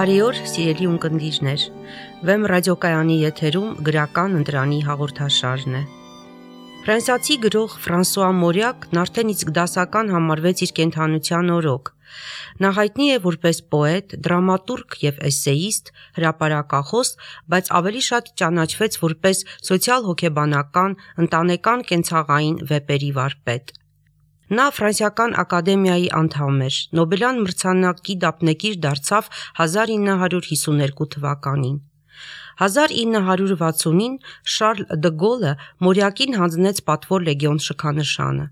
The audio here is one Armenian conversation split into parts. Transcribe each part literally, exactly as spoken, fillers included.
Բարի օր, սիրելի ունկնդիրներ։ Վեմ ռադիոկայանի եթերում գրական ընտրանի հաղորդաշարն է։ Ֆրանսիացի գրող Ֆրանսուଆ Մորիակն արդեն իսկ դասական համարվեց իր կենդանության օրոք։ Նա հայտնի է որպես պոետ, դրամատուրգ եւ էսեիստ, հրապարակախոս, բայց ավելի շատ ճանաչվեց որպես սոցիալ-հոգեբանական, ընտանեկան կենցաղային վեպերի վարպետ։ Նա Ֆրանսիական ակադեմիայի անդամ էր, Նոբելյան մրցանակի դափնեկիր դարձավ հազար ինը հարյուր հիսուներկու թվականին։ հազար ինը հարյուր վաթսունին Շարլ դը Գոլը Մորիակին հանձնեց պատվոր լեգիոն շքանշանը։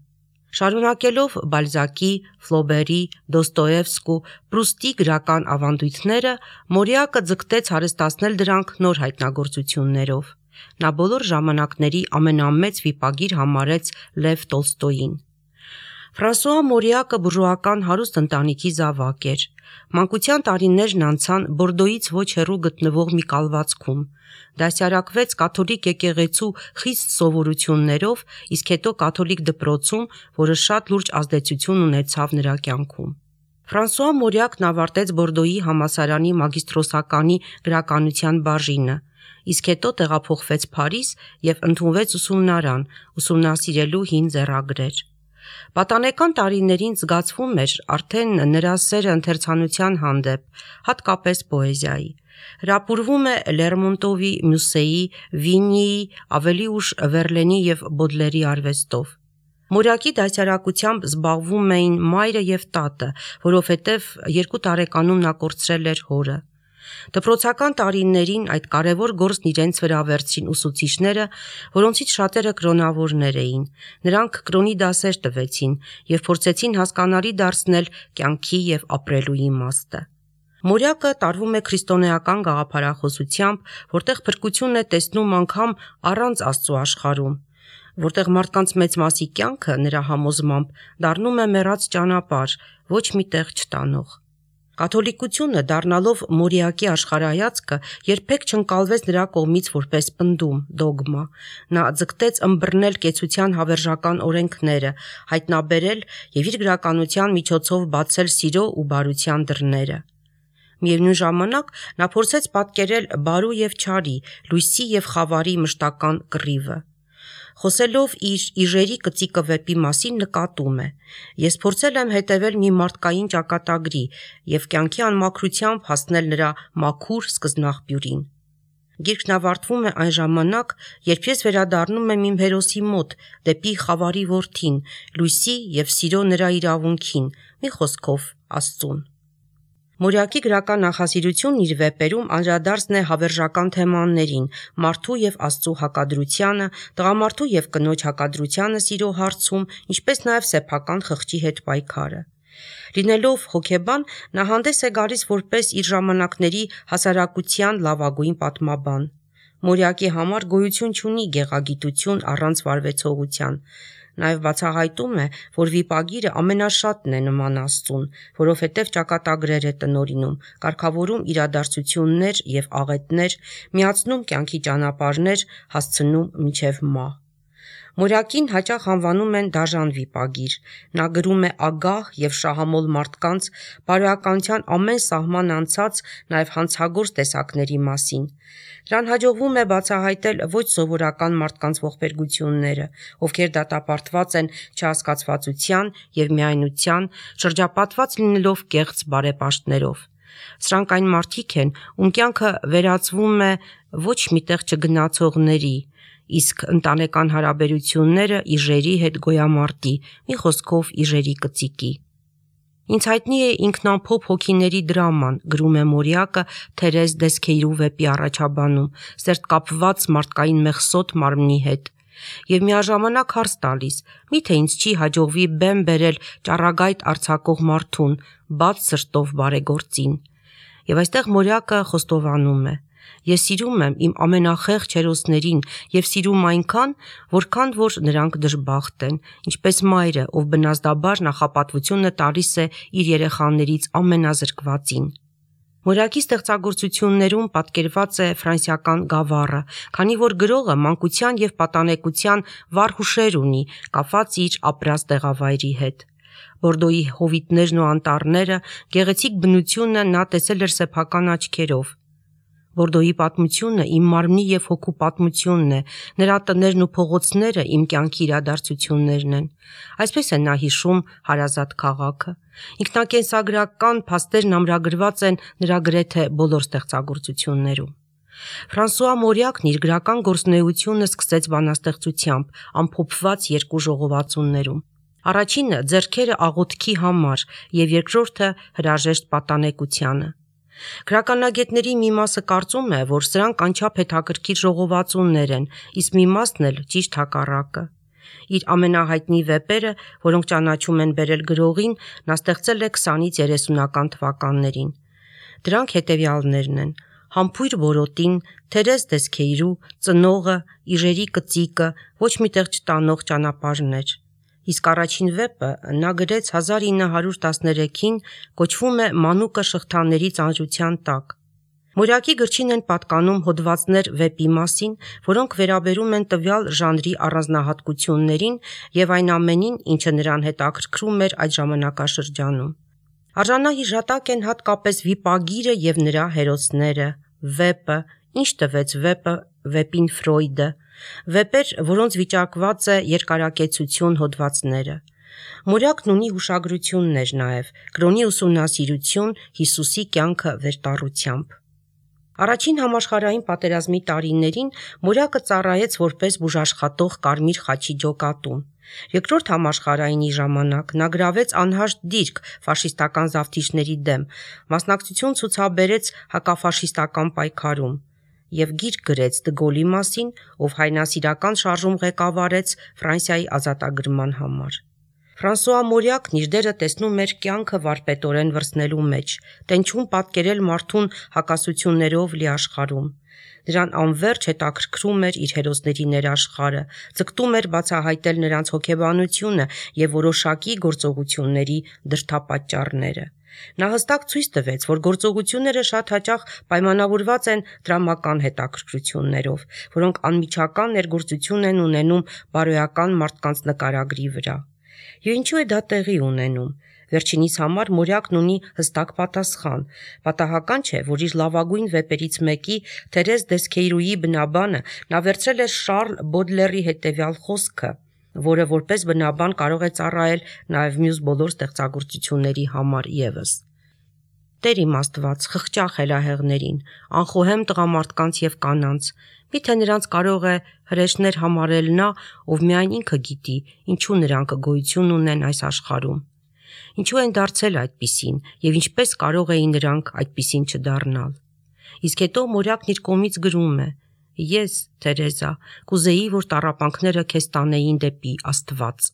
Շարունակելով Բալզակի, Ֆլոբերի, Դոստոևսկու, Պրուստի գրական ավանդույթները, Մորիակը ձգտեց հարստացնել դրանք նոր հայտնագործություններով։ Նա բոլոր ժամանակների ամենամեծ վիպագիր համարեց Լև Տոլստոյին։ Ֆրանսուଆ Մորիակը բուրժուական հարուստ ընտանիքի զավակ էր։ Մանկության տարիներն անցան Բորդոյից ոչ հեռու գտնվող մի կալվածքում։ Դասյարակվեց կաթոլիկ եկեղեցու խիստ սովորություններով, իսկ հետո կաթոլիկ դպրոցում, որը շատ լուրջ ազդեցություն ունեցավ նրա կյանքում։ Ֆրանսուଆ Մորիակն ավարտեց Բորդոյի համալսարանի մագիստրոսականի գրականության բաժինը, իսկ հետո տեղափոխվեց Փարիզ եւ ընդունվեց ուսումնարան, ուսումնասիրելու հին ձեռագրեր։ Պատանեկան տարիներին զգացվում էր արդեն նրա սերը ընթերցանության հանդեպ, հատկապես պոեզիայի։ Հրապուրվում է Լերմոնտովի, Մյուսեի, Վինիի, ավելի ուշ Վերլենի եւ Բոդլերի արվեստով։ Մորիակի դասյարակությամբ զբաղվում էին մայրը եւ տատը, որովհետեւ երկու տարեկանում նա կորցրել էր հորը։ Դպրոցական տարիներին այդ կարևոր գործն իրենց վրա վերցրին ուսուցիչները, որոնցից շատերը կրոնավորներ էին։ Նրանք կրոնի դասեր տվեցին եւ փորձեցին հասկանալի դարձնել կյանքի եւ ապրելու իմաստը։ Մորիակը տարվում է քրիստոնեական գաղափարախոսությամբ, որտեղ փրկությունն է տեսնում անգամ առանց Աստծո աշխարհում, որտեղ մարդկանց մեծ մասի կյանքը նրա համոզմամբ դառնում է մեռած ճանապարհ, ոչ մի տեղ չտանող։ Կաթոլիկությունը դառնալով Մորիակի աշխարհայացքը երբեք չընկալվեց նրա կողմից որպես պնդում, դոգմա։ Նա ձգտեց ըմբռնել կեցության հավերժական օրենքները, հայտնաբերել եւ իր գրականության միջոցով բացել սիրո ու բարության դռները։ Միևնույն ժամանակ նա փորձեց պատկերել բարու եւ չարի, լույսի եւ խավարի մշտական կռիվը։ Խոսելով իր Իժերի կծիկը վեպի մասին նկատում է. «Ես փորձել եմ հետևել մի մարդկային ճակատագրի եւ կյանքի անմաքրությամբ հասնել նրա մաքուր սկզբնաղբյուրին։ Գիրքն ավարտվում է այն ժամանակ, երբ ես վերադառնում եմ իմ հերոսի մոտ, դեպի խավարի որդին, լույսի եւ սիրո նրա իրավունքին, մի խոսքով Աստծուն»։ Մորիակի գրական նախասիրությունն իր վեպերում անդրադարձն է հավերժական թեմաներին՝ մարդու եւ Աստծո հակադրությանը, տղամարդու եւ կնոջ հակադրությանը սիրո հարցում, ինչպես նաեւ սեփական խղճի հետ պայքարը։ Լինելով հոգեբան, նա հանդես է գալիս որպես իր ժամանակների հասարակության լավագույն պատմաբան։ Մորիակի համար գոյություն չունի գեղագիտություն առանց վարվեցողության։ Նաև բացահայտում է, որ վիպագիրը ամենաշատն է նման Աստծուն, որովհետև ճակատագրեր է տնօրինում, կարգավորում իրադարձություններ եւ աղետներ, միացնում կյանքի ճանապարհներ, հասցնում մինչև մահ։ Մորիակին հաճախ անվանում են դաժան վիպագիր։ Նա գրում է ագահ եւ շահամոլ մարդկանց, բարոյականության ամեն սահման անցած, նաեւ հանցագործ տեսակների մասին։ Նրան հաջողվում է բացահայտել ոչ սովորական մարդկանց ողբերգությունները, ովքեր դատապարտված են չհասկացվածության եւ միայնության, շրջապատված լինելով կեղծ բարեպաշտներով։ Սրանք այն մարդիկ են, ում կյանքը վերածվում է ոչ միտեղ չգնացողների, իսկ ընտանեկան հարաբերությունները Իժերի հետ գոյամարտի, մի խոսքով Իժերի կծիկի։ Ինձ հայտնի է ինքնամփոփ հոգիների դրաման, գրում է Մորիակը Թերեզ Դեսքեյրու վեպի առաջաբանում, սերտկապված մարդկային մեղսոտ մարմնի հետ։ Եվ միաժամանակ հարց տալիս. միթե ինձ չի հաջողվի բեմ բերել ճառագայթ արձակող մարդուն, բաց սրտով բարեգործին։ Եվ այստեղ Մորիակը խոստովանում է. Ես սիրում եմ իմ ամենախեղճ հերոսներին եւ սիրում այնքան, որքան որ նրանք դժբախտ են, ինչպես մայրը, ով բնազդաբար նախապատվությունը տալիս է իր երեխաներից ամենազրկվածին։ Մորիակի ստեղծագործություններում պատկերված է ֆրանսիական գավառը, քանի որ գրողը մանկության եւ պատանեկության վառ հուշեր ունի, կապված իր ապրած տեղավայրի հետ։ Բորդոյի հովիտներն ու անտառները, գեղեցիկ բնությունը նա տեսել էր սեփական աչքերով։ Բորդոյի պատմությունը իմ մարմնի և հոգու պատմությունն է, նրա տներն ու փողոցները իմ կյանքի իրադարձություններն են։ Այսպես է նա հիշում հարազատ քաղաքը։ Ինքնակենսագրական փաստերն ամրագրված են նրա գրեթե բոլոր ստեղծագործություններում։ Ֆրանսուଆ Մորյակն իր գրական գործունեությունը սկսեց բանաստեղծությամբ, ամփոփված երկու ժողովածուներում։ Առաջինը ձեռքերը աղոթքի համար և երկրորդը հրաժեշտ պատանեկությանը։ Գրականագետների մի մասը կարծում է, որ սրանք անչափ հետաքրքիր ժողովածուներ են, իսկ մի մասն էլ ճիշտ հակառակը։ Իր ամենահայտնի վեպերը, որոնք ճանաչում են բերել գրողին, նա ստեղծել է քսանից երեսունական թվականներին։ Դրանք հետևյալներն են. Համբույր որոտին, Թերեզ Դեսքեյրու, Ծնողը, Իժերի կծիկը, ոչ միտեղ չտանող ճանապարհներ։ Իսկ առաջին վեպը նա գրեց հազար ինը հարյուր տասներեքին, կոչվում է Մանուկը շղթաների ծանրության տակ։ Մորյակի գրչին են պատկանում հոդվածներ վեպի մասին, որոնք վերաբերում են տվյալ ժանրի առանձնահատկություններին և այն ամենին, ինչը նրան հետաքրքրում էր այդ ժամանակաշրջանում։ Արժանահիշատակ են հատկապես վիպագիրը և նրա հերոսները, վեպը, Ինչ տվեց վեպը, վեպին Ֆրոյդը, վեպեր, որոնց վիճակված է երկարակեցություն հոդվածները։ Մորյակն ունի հուշագրություններ նաև, կրոնի ուսումնասիրություն, Հիսուսի կյանքը վերտառությամբ։ Առաջին համաշխարհային պատերազմի տարիներին Մորյակը ծառայեց որպես բուժաշխատող Կարմիր խաչի ջոկատում։ Երկրորդ համաշխարհայինի ժամանակ նա գրավեց անհաշտ դիրք ֆաշիստական զավթիչների դեմ, մասնակցություն ցուցաբերեց հակաֆաշիստական պայքարում և գիրք գրեց Դը Գոլի մասին, ով հայրենասիրական շարժում ղեկավարեց Ֆրանսիայի ազատագրման համար։ Ֆրանսուଆ Մորյակն իր դերը տեսնում էր կյանքը վարպետորեն վրձնելու մեջ, տենչում պատկերել մարդուն հակասություններով լի աշխարհում։ Նրան անվերջ հետաքրքրում էր իր հերոսների ներաշխարհը, ձգտում էր բացահայտել նրանց հոգեբանությունը և որոշակի գործողությունների դրդապատճառները։ Նա հստակ ցույց տվեց, որ գործողությունները շատ հաճախ պայմանավորված են դրամական հետաքրքրություններով, որոնք անմիջական ներգործություն են ունենում բարոյական մարդկանց նկարագրի վրա։ Եվ ինչու է դա տեղի ունենում։ Վերջինիս համար Մորյակն ունի հստակ պատասխան։ Պատահական չէ, որ իր լավագույն վեպերից մեկի Թերեզ Դեսքեյրուի բնաբանը նա վերցրել է Շարլ Բոդլերի հետևյալ խոսքը, որը որպես բնաբան կարող է ծառայել նաև մյուս բոլոր ստեղծագործությունների համար ևս. Տեր իմ Աստված, խղճա խելահեղներին, անխոհեմ տղամարդկանց և կանանց, միթե նրանց կարող է հրեշներ համարել նա, ով միայն ինքը գիտի, ինչու նրանք գոյություն ունեն այս աշխարհում։ Ինչու են դարձել այդպիսին և ինչպես կարող էին նրանք այդպիսին չդառնալ։ Իսկ հետո Մորյակն իր կողմից գրում է. Ես, Թերեզա, կուզեի, որ տառապանքները քեզ տանեին դեպի Աստված։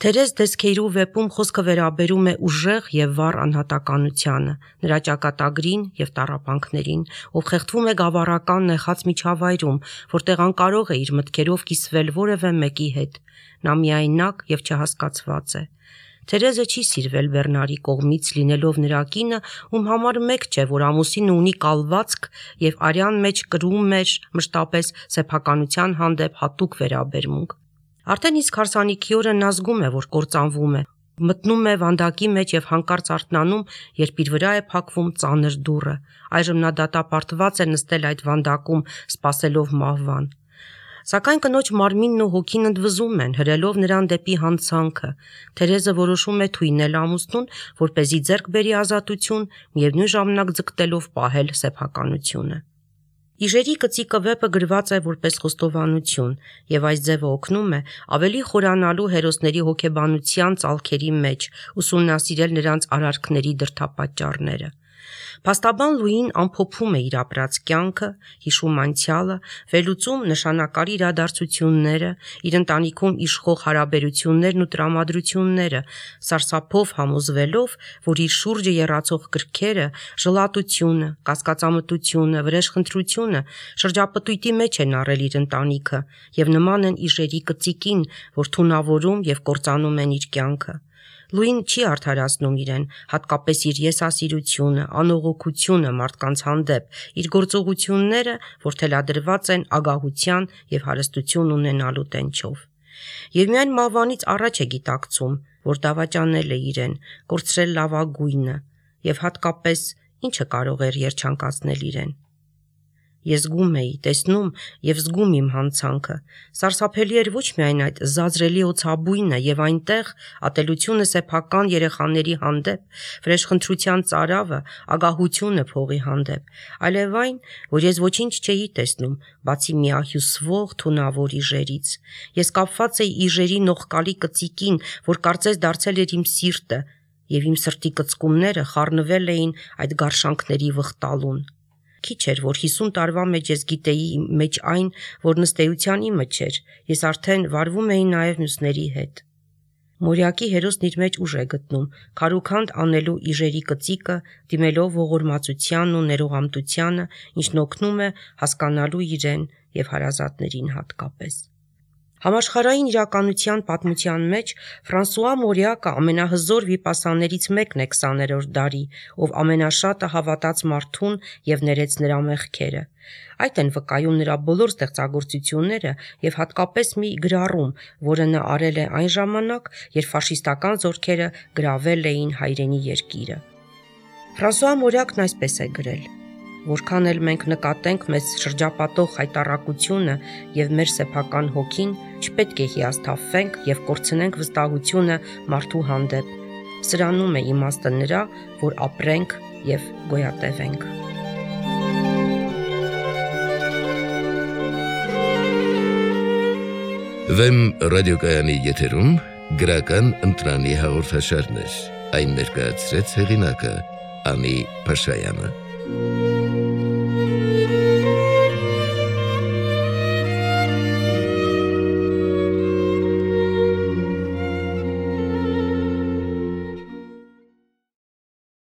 Թերեզ Դեսքեյրու վեպում խոսքը վերաբերում է ուժեղ և վառ անհատականությանը, նրա ճակատագրին և տառապանքներին, ով խեղդվում է գավառական նեխած միջավայրում, որտեղ անկարող է իր մտքերով կիսվել որևէ մեկի հետ։ Նա միայնակ և չհասկացված է։ Թերեզը չի սիրվել Բեռնարի կողմից, լինելով նրա կինը, ում համար մեկ չէ, որ ամուսինը ունի կալվածք և արյան մեջ կրում էր մշտապես սեփականության հանդեպ հատուկ վերաբերմունք։ Արդեն իսկ հարսանիքի օրը նա զգում է, որ կործանվում է, մտնում է վանդակի մեջ և հանկարծ արթնանում, երբ իր վրա է փակվում ծանր դուռը։ Այժմ նա դատապարտված է նստել այդ վանդակում, սպասելով մահվան։ Սակայն կնոջ մարմինն ու հոգին ընդվզում են, հրելով նրան դեպի հանցանքը։ Թերեզը որոշում է թույնել ամուսնուն, որպեսզի ձեռք բերի ազատություն, միևնույն ժամանակ ձգտելով պահել սեփականությունը։ Իժերի կծիկը վեպը գրված է որպես խոստովանություն, և այս ձևը օգնում է ավելի խորանալու հերոսների հոգեբանության ծալքերի մեջ, ուսումնասիրել նրանց արարքների դրդապատճառները։ Փաստաբան Լուին ամփոփում է իր ապրած կյանքը, հիշում անցյալը, վերլուծում նշանակալի իրադարձությունները, իր ընտանիքում իշխող հարաբերություններն ու տրամադրությունները, սարսափով համոզվելով, որ իր շուրջը եռացող կրքերը, ժլատությունը, կասկածամտությունը, վրեժխնդրությունը շրջապտույտի մեջ են առել իր ընտանիքը և նման են իժերի կծիկին, որ թունավորում և կործանում են իր կյանքը։ Լուին չի արդարացնում իրեն, հատկապես իր եսասիրությունը, անողոքությունը մարդկանց հանդեպ, իր գործողությունները, որ թելադրված են ագահության և հարստություն ունենալու տենչով։ Եվ միայն մահվանից առաջ է գիտակցում, որ դավաճանել է իրեն, կորցրել լավագույնը եւ հատկապես ինչը կարող էր երջանկացնել իրեն։ Ես զգում էի, տեսնում եւ զգում իմ հանցանքը։ Սարսափելի էր ոչ միայն այդ զազրելի օծաբույնը եւ այնտեղ ատելությունը սեփական երեխաների հանդեպ, վրեժխնդրության ծարավը, ագահությունը փողի հանդեպ, այլև այն, որ ես ոչինչ չէի տեսնում, բացի միահյուսվող թունավոր իժերից։ Ես կապված էի իժերի նողկալի կծիկին, որ կարծես դարձել էր իմ սիրտը, եւ իմ սրտի կծկումները խառնվել էին այդ գարշանքների վխտալուն։ Քիչ էր, որ հիսուն տարվա մեջ ես գիտեի մեջ այն, որ նստեյության իմը չէր, ես արդեն վարվում էի նաև մյուսների հետ։ Մորյակի հերոսն իր մեջ ուժ է գտնում, քարուքանդ անելու իժերի կծիկը, դիմելով ողորմածությանն ու ներողամտությանը, ինչն օգնում է հասկանալու իրեն եւ հարազատներին հատկապես։ Համաշխարհային իրականության պատմության մեջ Ֆրանսուଆ Մորյակը ամենահզոր վիպասաներից մեկն է քսաներորդ դարի, ով ամենաշատը հավատաց մարդուն եւ ներեց նրա մեղքերը։ Այդ են վկայում նրա բոլոր ստեղծագործությունները եւ հատկապես մի գրառում, որը նա արել է այն ժամանակ, երբ ֆաշիստական զորքերը գրավել էին հայրենի երկիրը։ Ֆրանսուଆ Մորյակն այսպես է գրել. Որքան էլ մենք նկատենք մեզ շրջապատող հայտարարությունը եւ մեր սեփական հոգին, չպետք է հիասթափվենք եւ կորցնենք վստահությունը մարդու հանդեպ։ Սրանում է իմաստը նրա, որ ապրենք եւ գոյատևենք։ Վեմ ռադիոկայանի եթերում գրական ընտրանի հաղորդաշարներ, այն ներկայացրեց հեղինակը Անի Փաշայանը։